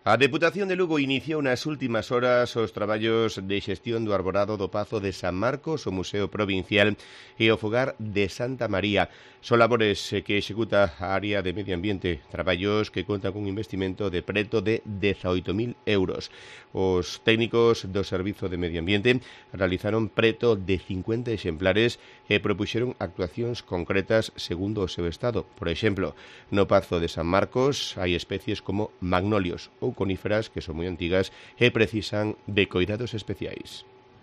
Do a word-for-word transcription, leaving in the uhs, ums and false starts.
A Deputación de Lugo iniciou nas últimas horas os traballos de xestión do arborado do Pazo de San Marcos, o Museo Provincial e o Fogar de Santa María. Son labores que executa a área de Medio Ambiente, traballos que contan cun investimento de preto de dezaoito mil euros. Os técnicos do Servizo de Medio Ambiente realizaron preto de cincuenta exemplares e propuxeron actuacións concretas segundo o seu estado. Por exemplo, no Pazo de San Marcos hai especies como magnolios ou coníferas que son moi antigas e precisan de coidados especiais.